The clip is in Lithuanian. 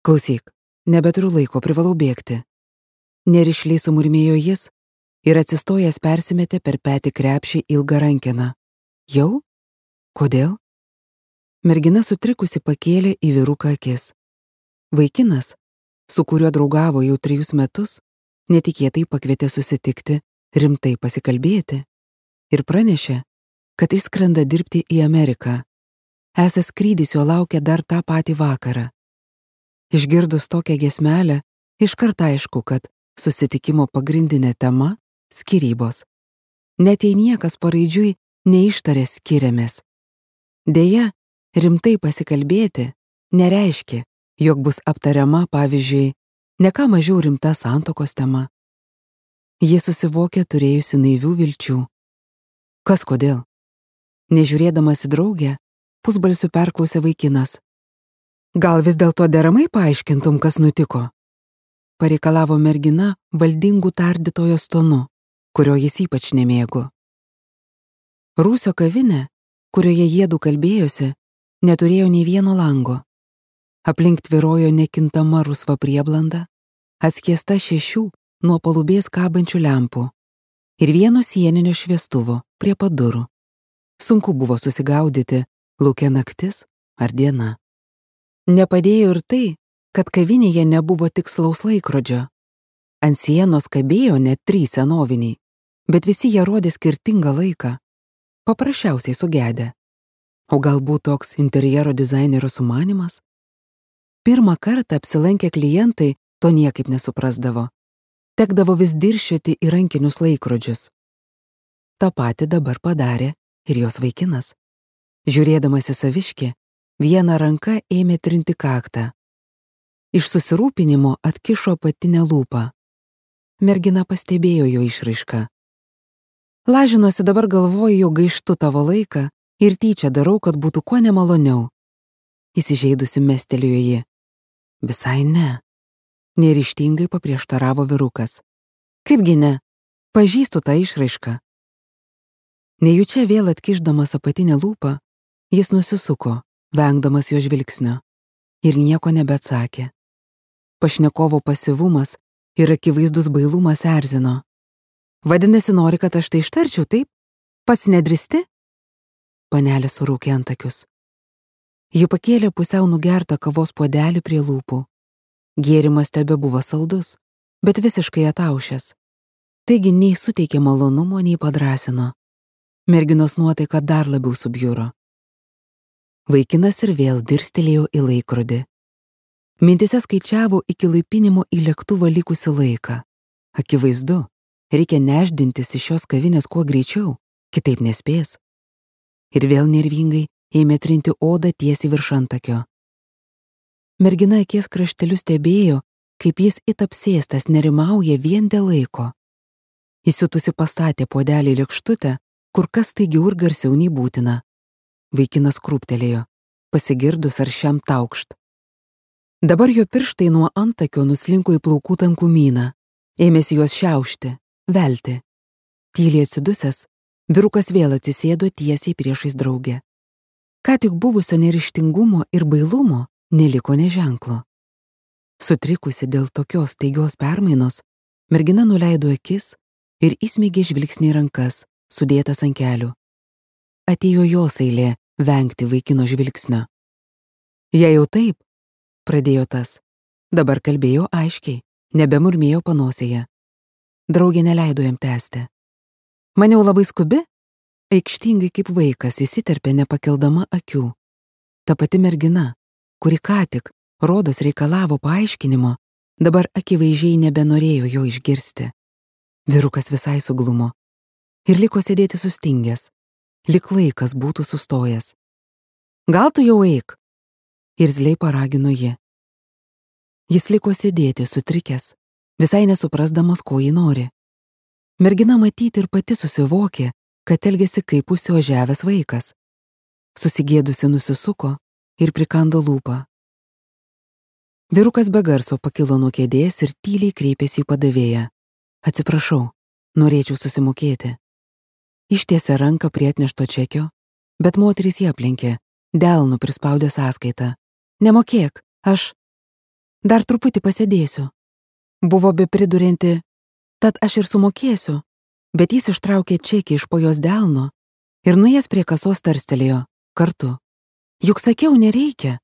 Klausyk, nebeturiu laiko, privalau bėgti. Nerišliai sumurmėjo jis ir atsistojęs persimetė per petį krepšį ilgą rankeną. Jau? Kodėl? Mergina sutrikusi pakėlė į vyruką akis. Vaikinas, su kuriuo draugavo jau 3 metus, netikėtai pakvietė susitikti, rimtai pasikalbėti ir pranešė, kad išskrenda dirbti į Ameriką. Esąs skrydis jo laukia dar tą patį vakarą. Išgirdus tokią giesmelę, iškart aišku, kad susitikimo pagrindinė tema – skyrybos. Net jei niekas paraidžiui neištarė skiriamės. Deja, rimtai pasikalbėti nereiškia, jog bus aptariama, pavyzdžiui, ne ką mažiau rimta santuokos tema. Ji susivokė turėjusi naivių vilčių. Kas kodėl? Nežiūrėdamas į draugę, pusbalsiu perklausė vaikinas. Gal vis dėlto deramai paaiškintum, kas nutiko? Pareikalavo mergina valdingų tardytojos tonu, kurio jis ypač nemėgo. Rūsio kavinė, kurioje jiedu kalbėjosi, neturėjo nei vieno lango. Aplink tvyrojo nekintama rusva prieblanda, atskiesta 6 nuo palubės kabančių lempų ir vieno sieninio šviestuvo prie pat durų. Sunku buvo susigaudyti, laukia naktis ar diena. Nepadėjo ir tai, kad kavinėje nebuvo tikslaus laikrodžio. Ant sienos kabėjo net 3 senoviniai, bet visi jie rodė skirtingą laiką. Paprasčiausiai sugedę. O galbūt toks interjero dizainerio sumanymas? Pirmą kartą apsilankę klientai to niekaip nesuprasdavo. Tekdavo vis dirščioti į rankinius laikrodžius. Ta pati dabar padarė ir jos vaikinas. Žiūrėdamas į saviškį, viena ranka ėmė trinti kaktą. Iš susirūpinimo atkišo apatinę lūpą. Mergina pastebėjo jo išraišką. Lažinosi, dabar galvoju, jog gaištu tavo laiką ir tyčia darau, kad būtų kuo nemaloniau. Įsižeidusi mestelėjo ji. Visai ne. Neryžtingai paprieštaravo vyrukas. Kaipgi ne? Pažįstu tą išraišką. Nejučia vėl atkišdamas apatinę lūpą, jis nusisuko, vengdamas jo žvilgsnio, ir nieko nebeatsakė. Pašnekovo pasyvumas ir akivaizdus bailumas erzino. Vadinasi, nori, kad aš tai ištarčiau, taip? Pats nedristi? Panelė suraukė antakius. Ji pakėlė pusiau nugertą kavos puodelį prie lūpų. Gėrimas tebebuvo saldus, bet visiškai ataušęs. Taigi nei suteikė malonumo, nei padrąsino. Merginos nuotaika dar labiau subjuro. Vaikinas ir vėl dirstelėjo į laikrodį. Mintise skaičiavo iki laipinimo į lėktuvą likusį laiką. Akivaizdu, reikia nešdintis iš šios kavinės kuo greičiau, kitaip nespės. Ir vėl nervingai ėmė trinti odą tiesiai virš antakio. Mergina akies krašteliu stebėjo, kaip jis it apsėstas nerimauja vien dėl laiko. Įsiutusi pastatė puodelį lėkštutę, kur kas staigiau ir garsiau nei būtina. Vaikinas krūptelėjo, pasigirdus aršiam taukšt. Dabar jo pirštai nuo antakio nuslinko į plaukų tankumyną, ėmėsi juos šiaušti, velti. Tyliai atsidusęs, vyrukas vėl atsisėdo tiesiai priešais draugę. Ką tik buvusio neryžtingumo ir bailumo neliko nė ženklo. Sutrikusi dėl tokios staigios permainos, mergina nuleido akis ir įsmeigė žvilgsnį į rankas, sudėtas ant kelių. Atėjo jos eilė vengti vaikino žvilgsnio. Jei jau taip, pradėjo tas, dabar kalbėjo aiškiai, nebemurmėjo panosėje. Draugė neleido jam tęsti. Maniau labai skubi? Aikštingai kaip vaikas įsiterpė nepakeldama akių. Ta pati mergina, kuri ką tik, rodos reikalavo paaiškinimo, dabar akivaizdžiai nebenorėjo jo išgirsti. Vyrukas visai suglumo ir liko sėdėti sustingęs, lyg laikas būtų sustojęs. Gal tu jau eik? Irzliai paragino ji. Jis liko sėdėti sutrikęs, visai nesuprasdamas, ko ji nori. Mergina matyti ir pati susivokė, kad elgėsi kaip užsiožiavęs vaikas. Susigėdusi nusisuko ir prikando lūpą. Vyrukas be garso pakilo nuo kėdės ir tyliai kreipėsi į padavėją. Atsiprašau, norėčiau susimokėti. Ištiesė ranką prie atnešto čekio, bet moteris jį aplenkė, delnu prispaudė sąskaitą. Nemokėk, aš... Dar truputį pasėdėsiu. Buvo be pridurianti, tad aš ir sumokėsiu, bet jis ištraukė čekį iš po jos delno ir nuėjęs prie kasos tarstelėjo kartu. Juk sakiau, nereikia.